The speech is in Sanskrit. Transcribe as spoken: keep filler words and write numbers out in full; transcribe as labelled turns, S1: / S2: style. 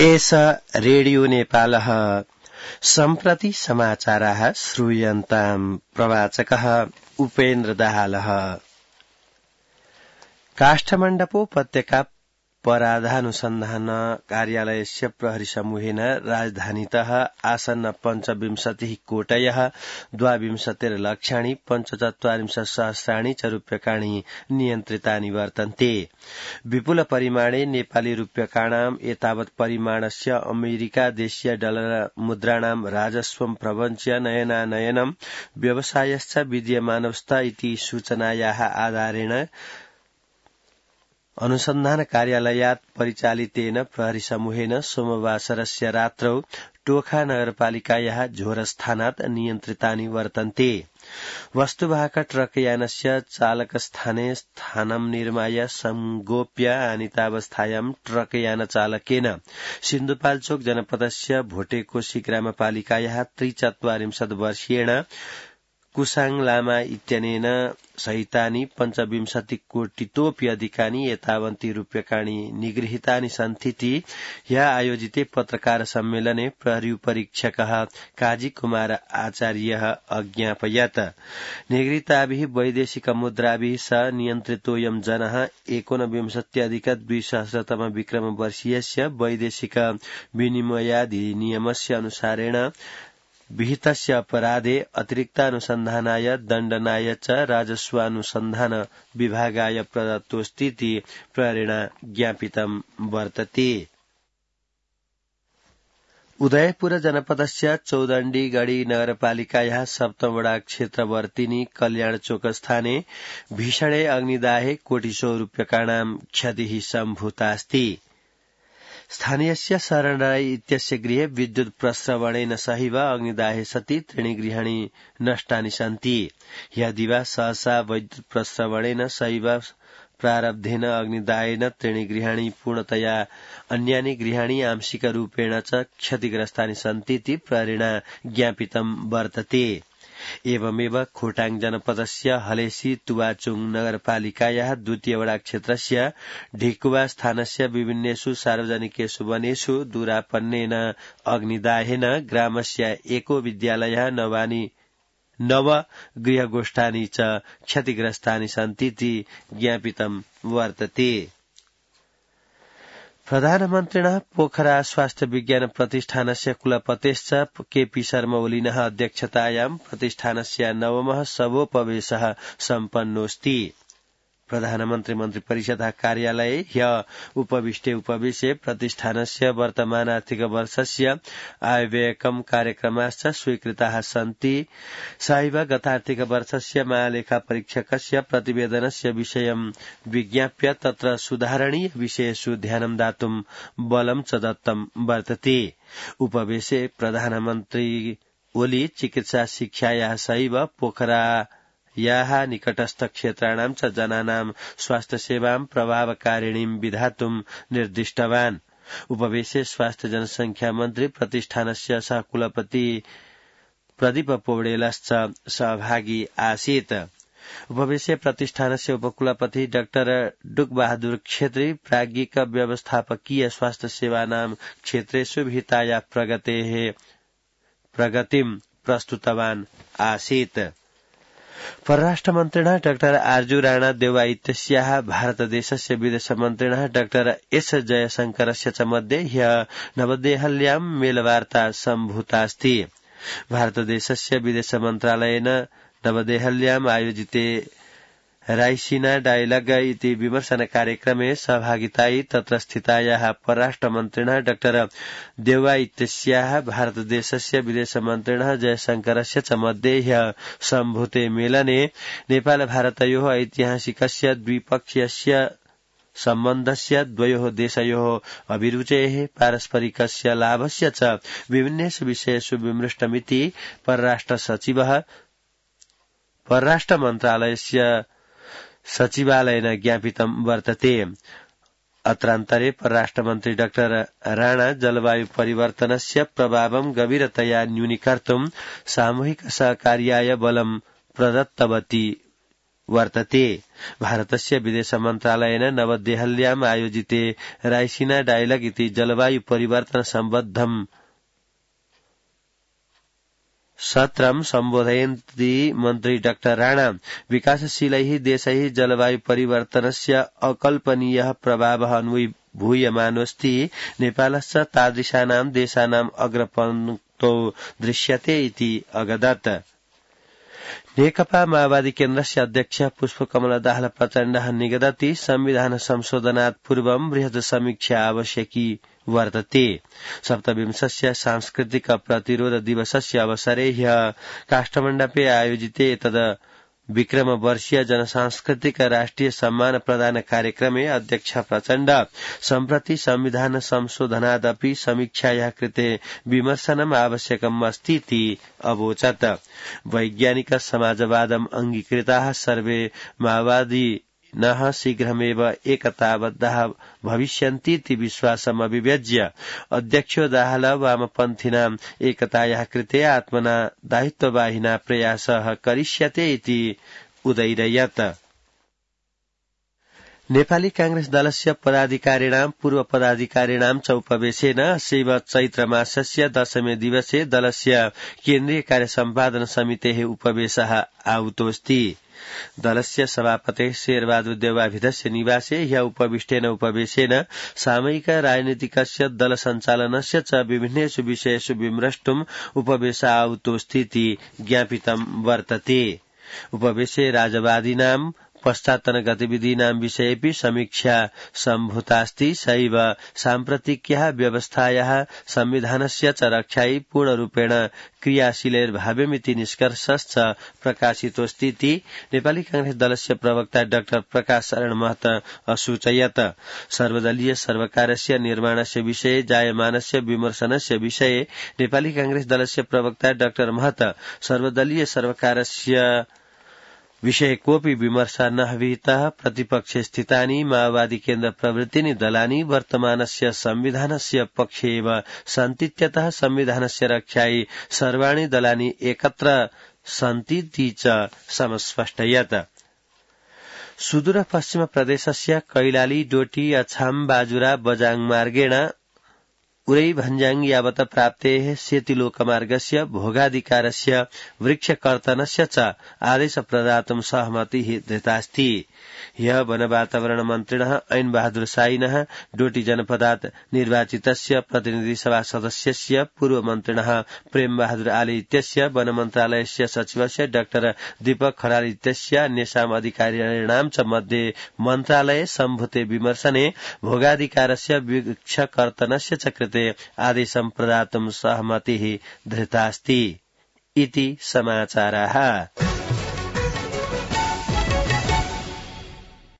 S1: एष रेडियो नेपालः सम्प्रति समाचाराः श्रूयन्ताम् प्रवाचकः उपेन्द्र दाहालः। काष्ठमण्डपोपत्यका पराधानुसन्धान कार्यालयस्य प्रहरी समूहेन राजधानीतः आसन्न पञ्चविंशतिः कोटयः द्वाविंशतिर्लक्षाणि पञ्चचत्वारिंशत् सहस्राणि च रूप्यकाणि नियन्त्रितानि वर्तन्ते। विपुल परिमाणे नेपाली रूप्यकाणाम् एतावत् परिमाणस्य अमेरिका देशीय डलर मुद्राणां राजस्वं प्रवञ्च्य नयनानयनं व्यवसायश्च विद्यमानस्थ इति सूचनायाः आधारेण अनुसन्धान कार्यालयात् परिचालितेन प्रहरी समूहेन सोमवासरस्य रात्रौ टोखा नगरपालिकायाः झोरस्थानात् नियन्त्रितानि वर्तन्ते। वस्तुवाहक ट्रकयानस्य चालकस्थाने स्थानं निर्माय संगोप्य आनीतावस्थायां ट्रकयानचालकेन सिन्धुपाल्चोक जनपदस्य भोटेकोशी ग्रामपालिकायाः त्रिचत्वारिंशत् वर्षीयेण कुसाङ लामा इत्यनेन सहितानि पञ्चविंशति कोटितोऽपि अधिकानि एतावन्ति रूप्यकाणि निगृहीतानि सन्तीति ह्यः आयोजिते पत्रकार सम्मेलने प्रहरी उपरीक्षकः काजी कुमार आचार्यः अज्ञापयत्। निगृहीताभिः वैदेशिक मुद्राभिः सह नियन्त्रितोऽयं जनः एकोनविंशत्यधिक द्विसहस्रतम विक्रम वर्षीयस्य वैदेशिक विनिमयाधिनियमस्य अनुसारेण विहितस्य अपराधे अतिरिक्तानुसन्धानाय दण्डनाय च राजस्वानुसन्धान विभागाय प्रदत्तोऽस्तीति प्रहरिणा ज्ञापितं वर्तते। उदयपुर जनपदस्य चौदण्डीगढी नगरपालिकायाः सप्तमवडा क्षेत्रवर्तिनी कल्याणचोक स्थाने भीषणे अग्निदाहे कोटिशो रूप्यकाणां क्षतिः सम्भूतास्ति। स्थानीयस्य शरण राय इत्यस्य गृहे विद्युत प्रस्रवणेन सहैव अग्निदाहे सति त्रीणि गृहाणि नष्टानि सन्ति। ह्यः दिवा सहसा वैद्युत प्रस्रवणेन सहैव प्रारब्धेन अग्निदाहेन त्रीणि गृहाणि पूर्णतया अन्यानि गृहाणि आंशिक रूपेण च क्षतिग्रस्तानि सन्तीति प्रहरिणा ज्ञापितं वर्तते। एवमेव खोटाङ जनपदस्य हलेसी तुवाचुङ नगरपालिकायाः द्वितीयवडा क्षेत्रस्य ढिकुवा स्थानस्य विभिन्नेषु सार्वजनिकेषु वनेषु दूरापन्नेन अग्निदाहेन ग्रामस्य एको विद्यालयः नवानि नव गृहगोष्ठानि च क्षतिग्रस्तानि सन्तीति ज्ञापितं वर्तते। प्रधानमन्त्रिणः पोखरा स्वास्थ्य विज्ञान प्रतिष्ठानस्य कुलपतेश्च केपी शर्मा ओलिनः अध्यक्षतायां प्रतिष्ठानस्य नवमः सभोपवेशः सम्पन्नोऽस्ति। प्रधानमन्त्री मन्त्रिपरिषदः कार्यालये ह्यः उपविष्टे उपवेशे प्रतिष्ठानस्य वर्तमान आर्थिक वर्षस्य आयव्ययकं कार्यक्रमाश्च स्वीकृताः सन्ति। सहैव गतार्थिक वर्षस्य महालेखा परीक्षकस्य प्रतिवेदनस्य विषयं विज्ञाप्य तत्र सुधारणीय विषयेषु ध्यानं दातुं बलं च दत्तं वर्तते। उपवेशे प्रधानमन्त्री ओली चिकित्सा शिक्षायाः सहैव पोखरा याः निकटस्थ क्षेत्राणां च जनानां स्वास्थ्य सेवां प्रभावकारिणीं विधातुं निर्दिष्टवान्। उपवेशे स्वास्थ्य जनसंख्या मन्त्री प्रतिष्ठानस्य सहकुलपति प्रदीप पौडेलश्च सहभागी आसीत्। उपवेशे प्रतिष्ठानस्य उपकुलपति डाक्टर डुकबहादुर छेत्री प्राज्ञिक व्यवस्थापकीय स्वास्थ्य सेवानां क्षेत्रेषु विहिताया प्रगतेः प्रगतिं प्रस्तुतवान् आसीत्। परराष्ट्रमन्त्रिणः डाक्टर आर्जू राणा देवा इत्यस्याः भारतदेशस्य विदेशमन्त्रिणः डाक्टर एस जयशंकरस्य च मध्ये ह्यः नवदेहल्यां मेलवार्ता सम्भूतास्ति। भारतदेशस्य विदेशमन्त्रालयेन नवदेहल्याम् आयोजिते रायसीना डायलॉग इति विमर्शन कार्यक्रमे सहभागितायै तत्र स्थितायाः परराष्ट्रमन्त्रिणः डाक्टर देवा इत्यस्याः भारतदेशस्य विदेशमन्त्रिणः जयशंकरस्य च मध्ये ह्यः सम्भूते मेलने नेपाल भारतयोः ऐतिहासिकस्य द्विपक्षीयस्य सम्बन्धस्य द्वयोः देशयोः अभिरुचेः पारस्परिकस्य लाभस्य च विभिन्नेषु विषयेषु विमृष्टमिति परराष्ट्र सचिवः परराष्ट्र मन्त्रालयस्य सचिवालयेन ज्ञापितं वर्तते। अत्रान्तरे परराष्ट्रमन्त्री डाक्टर राणा जलवायु परिवर्तनस्य प्रभावं गभीरतया न्यूनीकर्तुं सामूहिक सहकार्याय बलं प्रदत्तवती वर्तते। भारतस्य विदेश मन्त्रालयेन नवदेहल्याम् आयोजिते रायसीना डायलग इति जलवायु परिवर्तन सम्बद्धम् सत्रं सम्बोधयन्ती मन्त्री डाक्टर राणा विकासशीलैः देशैः जलवायु परिवर्तनस्य अकल्पनीयः प्रभावः अनुभूयमानोऽस्ति। नेपालश्च तादृशानां देशानाम् अग्रपङ्क्तौ दृश्यते इति अगदत्। नेकपा माओवादी केन्द्रस्य अध्यक्ष पुष्पकमल दाहाल प्रचण्डः निगदति संविधान संशोधनात् पूर्वं बृहत् समीक्षा आवश्यकी वर्तते। सप्तविंशस्य सांस्कृतिक प्रतिरोध दिवसस्य अवसरे ह्यः काष्ठमण्डपे आयोजिते एतद् विक्रम वर्षीय जनसांस्कृतिक राष्ट्रिय सम्मान प्रदान कार्यक्रमे अध्यक्ष प्रचण्ड सम्प्रति संविधान संशोधनादपि समीक्षायाः कृते विमर्शनम् आवश्यकम् अस्ति इति अवोचत्। वैज्ञानिक समाजवादम् अंगीकृताः सर्वे माओवादी नः शीघ्रमेव एकताबद्धाः भविष्यन्तीति विश्वासम् अभिव्यज्य अध्यक्षो दाहाल वामपन्थिनाम् एकतायाः कृते आत्मना दायित्ववाहिना प्रयासः करिष्यते इति उदैरयत्। नेपाली कांग्रेस दलस्य पदाधिकारिणां पूर्व पदाधिकारिणां च उपवेशेन अद्य चैत्रमासस्य दशमे दिवसे दलस्य केन्द्रीय कार्य सम्पादन समितेः उपवेशः आहूतोऽस्ति। दलस्य सभापतेः शेरबहादुर देवाभिधस्य निवासे ह्यः उपविष्टेन उपवेशेन सामयिक राजनीतिकस्य दल सञ्चालनस्य च विभिन्नेषु विषयेषु विमृष्टुम् उपवेशः आहूतोऽस्तीति ज्ञापितं वर्तते। उपवेशे राजवादीनां पश्चात्तन गतिविधीनां विषयेऽपि समीक्षा सम्भूतास्ति। सैव साम्प्रतिक्याः व्यवस्थायाः संविधानस्य च रक्षायै पूर्णरूपेण क्रियाशीलैर्भाव्यमिति निष्कर्षश्च प्रकाशितोऽस्तीति नेपाली कांग्रेस दलस्य प्रवक्ता डाक्टर प्रकाश शरण महत असूचयत्। सर्वदलीय सर्वकारस्य निर्माणस्य विषये जायमानस्य विमर्शनस्य विषये नेपाली कांग्रेस दलस्य प्रवक्ता डाक्टर महत सर्वदलीय सर्वकारस्य विषये कोऽपि विमर्श न विहितः। प्रतिपक्षे स्थितानि माओवादी केन्द्र प्रभृतीनि दलानि वर्तमानस्य संविधानस्य पक्षे एव सन्तीत्यतः संविधानस्य रक्षायै सर्वाणि दलानि एकत्र सन्तीति च समस्पष्टयत्। सुदूर पश्चिम प्रदेशस्य कैलाली डोटी अछाम बाजुरा बजाङ मार्गेण उरै भन्जाङ यावत प्राप्तेः सेतुलोकमार्गस्य भोगाधिकारस्य वृक्षकर्तनस्य च आदेश प्रदातुं सहमतिः दत्तास्ति। ह्यः वन वातावरण मन्त्रिणः ऐन बहादुर साइनः डोटी जनपदात् निर्वाचितस्य प्रतिनिधि सभा सदस्यस्य पूर्व मन्त्रिणः प्रेम बहादुर आले इत्यस्य वन मन्त्रालयस्य सचिवस्य डाक्टर दीपक खराल इत्यस्य अन्येषाम् अधिकारिणां च मध्ये मन्त्रालये सम्भूते विमर्शने भोगाधिकारस्य वृक्षकर्तनस्य च कृते आदेशं प्रदातुं सहमतिः धृतास्ति इति समाचाराः।